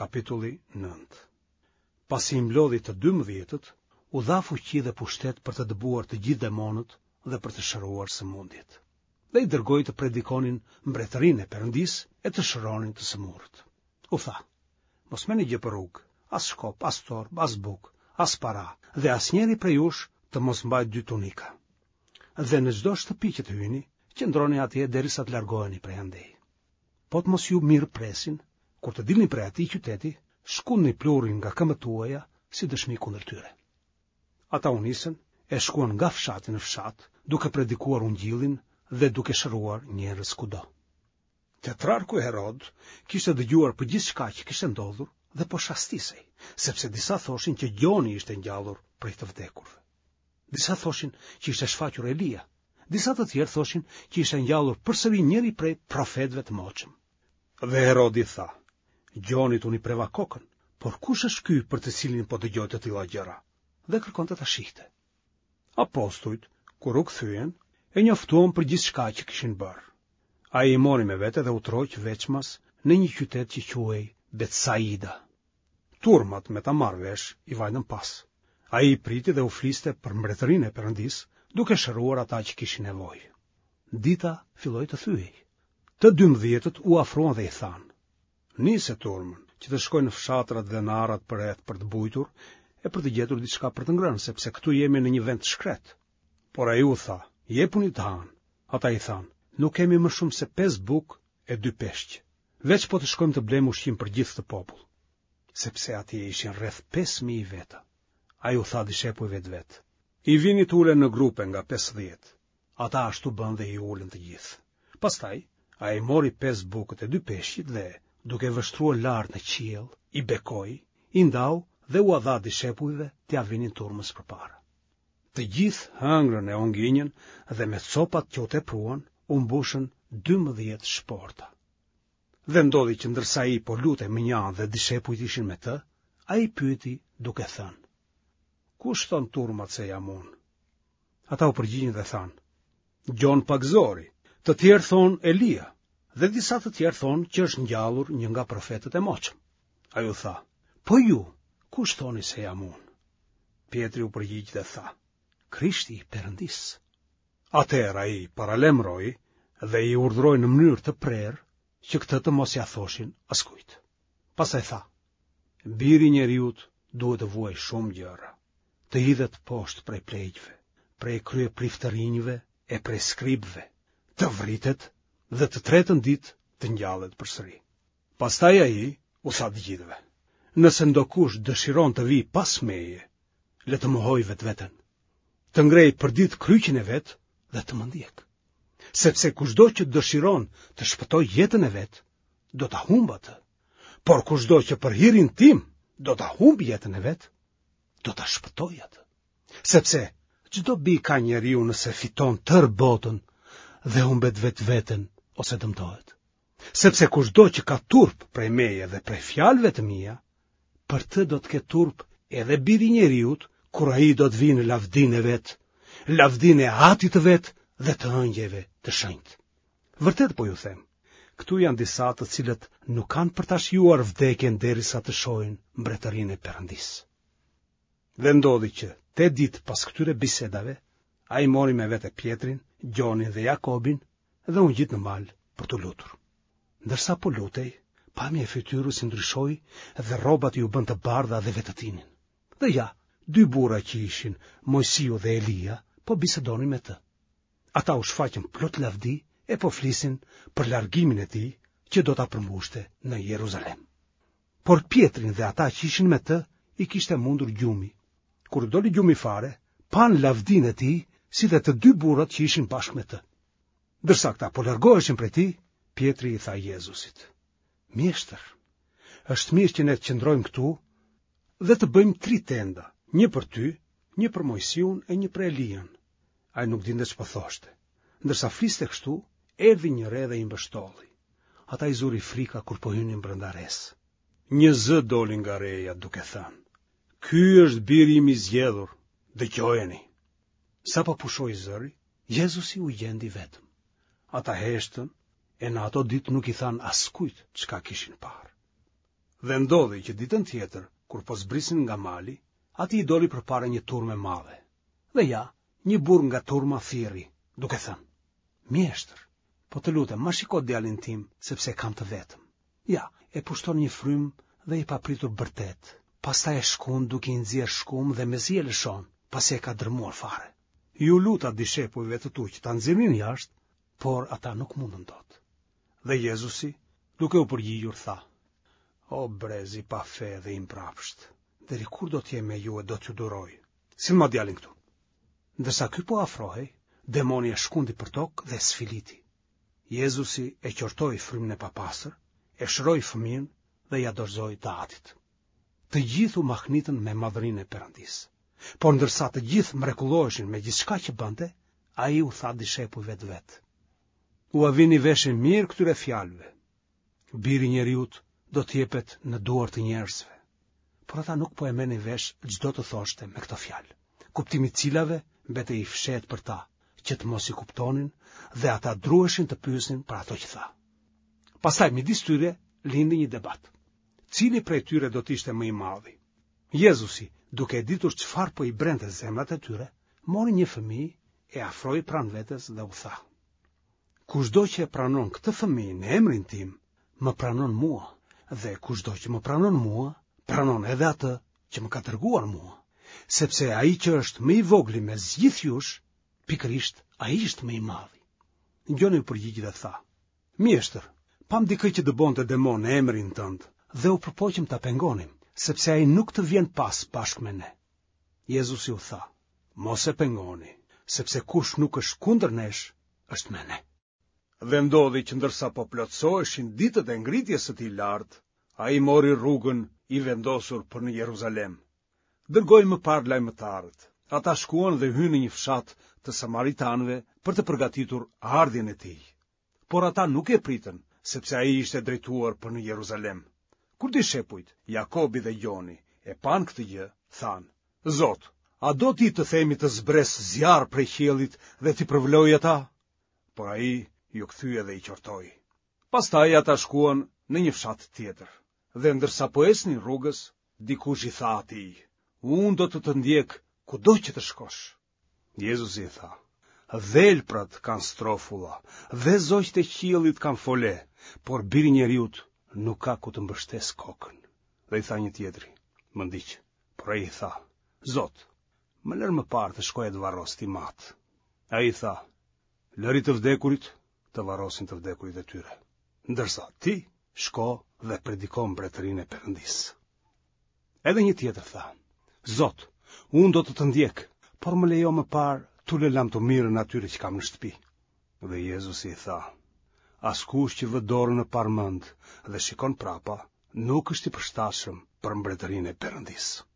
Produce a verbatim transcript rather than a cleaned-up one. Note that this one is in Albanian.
Kapitulli nëntë. Pasi i mblodhi të dymbëdhjetët, u dha fuqi dhe pushtet për të dëbuar të gjithë demonët dhe për të shëruar sëmundjet. Dhe i dërgoi të predikonin mbretërinë e Perëndisë e të shëronin të sëmurët. U tha: Mos merrni gjë për rrugë, as shkop, as torbë, as bukë, as para, dhe asnjëri prej jush të mos mbajë dy tunika. Dhe në çdo shtëpi që të hyni, qëndroni atje derisa të largoheni prej andej. Po të mos ju mirëpresin, kur të dilni prej atij qyteti, shkundni pluhurin nga këmbët tuaja si dëshmi kundër tyre. Ata u nisën e shkuan nga fshati në fshat, duke predikuar ungjillin dhe duke shëruar njerëz kudo. Tetrarku Herod kishte dëgjuar për gjithçka që kishte ndodhur dhe po shastisej, sepse disa thoshin që Gjoni ishte ngjallur prej të vdekurve. Disa thoshin që ishte shfaqur Elia, disa të tjerë thoshin që ishte ngjallur përsëri njëri prej profetëve të moçëm. Dhe Herodi tha: Gjonit unë i preva kokën, por kush është ky për të cilin po dëgjoj të tilla gjëra? Dhe kërkonte ta shihte. Apostujt, kur u kthyen, e njoftuan për gjithçka që kishin bërë. Ai i mori me vete dhe u tërhoq veçmas në një qytet që quhej Betsaida. Turmat me ta marrë vesh i vajtën pas. Ai i priti dhe u fliste për mbretërinë e Perëndisë, duke shëruar ata që kishin nevojë. Dita filloi të thyhej. Të dymbëdhjetët u afruan dhe i thanë: Nise turmën, që të shkojnë në fshatrat dhe në arat përreth për të bujtur e për të gjetur diçka për të ngrënë, sepse këtu jemi në një vend të shkretë. Por ai u tha: Jepuni të hanë. Ata i thanë: Nuk kemi më shumë se pesë bukë e dy peshq. Veç po të shkojmë të blejmë ushqim për gjithë këtë popull. Sepse atje ishin rreth pesë mijë veta. Ai u tha dishepujve të vet: I vini të ulen në grupe nga pesëdhjetë. Ata ashtu bënë dhe i ulën të gjithë. Pastaj, ai mori pesë bukët e dy peshqit dhe, duke vështruar lart në qiell, i bekoi, i ndau dhe ua dha dishepujve t'ia vinin turmës përpara. Të gjithë hëngrën e u nginjën dhe me copat që u tepruan, u mbushën dymbëdhjetë shporta. Dhe ndodhi që ndërsa ai po lutej mënjanë dhe dishepujt ishin me të, ai pyeti duke thënë: Kush thonë turmat se jam unë? Ata u përgjigjën dhe thanë: Gjon Pagëzori, të tjerë thonë Elia, dhe disa të tjerë thonë që është ngjallur një nga profetët e moçëm. Ai u tha: Po ju, kush thoni se jam unë? Pjetri u përgjigj dhe tha: Krishti i Perëndisë. Atëherë ai paralajmëroi dhe i urdhëroi në mënyrë të prerë që këtë të mos ia thoshin askujt. Pastaj tha: Biri i njeriut duhet të vuajë shumë gjëra, të hidhet poshtë prej pleqve, prej kryepriftërinjve e prej skribëve, të vritet dhe të tretën ditë të ngjallet përsëri. Pastaj ai u tha të gjithëve: Nëse ndokush dëshiron të vijë pas meje, le të mohojë vetveten, të ngrejë përditë kryqin e vet dhe të më ndjekë. Sepse kushdo që dëshiron të shpëtojë jetën e vet, do ta humbë atë. Por kushdo që për hirin tim do ta humbë jetën e vet, do ta shpëtojë atë. Sepse ç'dobi ka njeriu nëse fiton tërë botën dhe humbet vetveten ose dëmtohet. Sepse kushdo që ka turp prej meje dhe prej fjalëve të mia, për të do të ketë turp edhe biri i njeriut, kur ai do të vijë në lavdinë e vet, lavdinë e Atit të vet dhe të ëngjëjve të shenjtë. Vërtet po ju them, këtu janë disa të cilët nuk kanë për ta shijuar vdekjen derisa të shohin mbretërinë e Perëndisë. Dhe ndodhi që tetë ditë pas këtyre bisedave, ai mori me vete Pjetrin, Gjonin dhe Jakobin dhe u ngjit në mal për t'u lutur. Ndërsa po lutej, pamja e fytyrës i ndryshoi dhe rrobat iu bënë të bardha dhe vetëtinin. Dhe ja, dy burra që ishin Moisiu dhe Elia po bisedonin me të. Ata u shfaqën plot lavdi e po flisin për largimin e tij që do ta përmbushte në Jeruzalem. Por Pjetrin dhe ata që ishin me të i kishte mundur gjumi. Kur doli gjumi fare, panë lavdinë e tij si dhe të dy burrat që ishin bashkë me të. Ndërsa këta po largoheshin prej tij, Pjetri i tha Jezusit: Mjeshtër, është mirë që ne të qëndrojmë këtu dhe të bëjmë tri tenda, një për ty, një për Moisiun e një për Elian. Ai nuk dinte ç'po thoshte. Ndërsa fliste kështu, erdhi një re dhe i mbështolli. Ata i zuri frika kur po hynin brenda resë. Një zë doli nga reja duke thënë: Ky është biri im i zgjedhur, dëgjojeni. Sapo pushoi zëri, Jezusi u gjend i vetëm. Ata heshtën e në ato ditë nuk i thanë askujt çka kishin parë. Dhe ndodhi që ditën tjetër, kur po zbrisnin nga mali, atij i doli përpara një turmë e madhe. Dhe ja, një burrë nga turma thirri, duke thënë: Mjeshtër, po të lutem, ma shiko djalin tim, sepse e kam të vetëm. Ja, e pushton një frymë dhe i papritur bërtet. Pastaj e shkund duke i nxjerrë shkumë dhe mezi e lëshon, pasi e ka dërmuar fare. Iu luta dishepujve të tu që ta nxirrnin jashtë, por ata nuk mundën dot. Dhe Jezusi, duke u përgjigjur, tha: O brez i pafe dhe i mbrapsht, deri kur do të jem me ju e do t'ju duroj? Sillma djalin këtu. Ndërsa ky po afrohej, demoni e shkundi përtokë dhe e sfiliti. Jezusi e qortoi frymën e papastër, e shëroi fëmijën dhe ia dorëzoi të atit. Të gjithë u mahnitën me madhërinë e Perëndisë. Por ndërsa të gjithë mrekulloheshin me gjithçka që bënte, ai u tha dishepujve të vet: Ua vini veshin mirë këtyre fjalëve. Biri i njeriut do të jepet në duar të njerëzve. Por ata nuk po e merrnin vesh ç'do të thoshte me këto fjalë, kuptimi i të cilave mbetej i fshehtë për ta, që të mos i kuptonin dhe ata druheshin të pyesnin për ato që tha. Pastaj midis tyre lindi një debat. Cili prej tyre do të ishte më i madhi? Jezusi, duke e ditur çfarë po i brente zemrat e tyre, mori një fëmijë, e afroi pranë vetes dhe u tha: Kushdo që e pranon këtë fëmijë në emrin tim, më pranon mua, dhe kushdo që më pranon mua, pranon edhe atë që më ka dërguar mua, sepse ai që është më i vogli mes gjithë jush, pikërisht ai është më i madhi. Gjoni u përgjigj dhe tha: Mjeshtër, pamë dikë që dëbonte demonë në emrin tënd dhe u përpoqëm ta pengonim, sepse ai nuk të vjen pas bashkë me ne. Jezusi u tha: Mos e pengoni, sepse kush nuk është kundër nesh, është me ne. Dhe ndodhi që ndërsa po plotësoheshin ditët e ngritjes së tij lart, ai mori rrugën i vendosur për në Jeruzalem. Dërgoi më parë lajmëtarët. Ata shkuan dhe hynë në një fshat të Samaritanëve për të përgatitur ardhjen e tij. Por ata nuk e pritën, sepse ai ishte drejtuar për në Jeruzalem. Kur dishepujt, Jakobi dhe Gjoni, e panë këtë gjë, thanë: Zot, a do ti të themi të zbresë zjarr prej qiellit dhe t'i përvëlojë ata? Por ai iu kthye dhe i qortoi. Pastaj ata shkuan në një fshat tjetër. Dhe ndërsa po ecnin rrugës, dikush i tha atij: Unë do të të ndjek kudo që të shkosh. Jezusi i tha: Dhelprat kanë strofulla dhe zogjtë e qiellit kanë fole, por biri i njeriut nuk ka ku të mbështesë kokën. Dhe i tha një tjetri: Më ndiq. Por ai i tha: Zot, më lër më parë të shkoj e të varros tim atë. Ai i tha: Lëri të vdekurit të varrosin të vdekurit e tyre, ndërsa ti shko dhe prediko mbretërinë e Perëndisë. Edhe një tjetër tha: Zot, unë do të të ndjek, por më lejo më parë t'u lë lamtumirën atyre që kam në shtëpi. Dhe Jezusi i tha: Askush që vë dorën në parmend dhe shikon prapa, nuk është i përshtatshëm për mbretërinë e Perëndisë.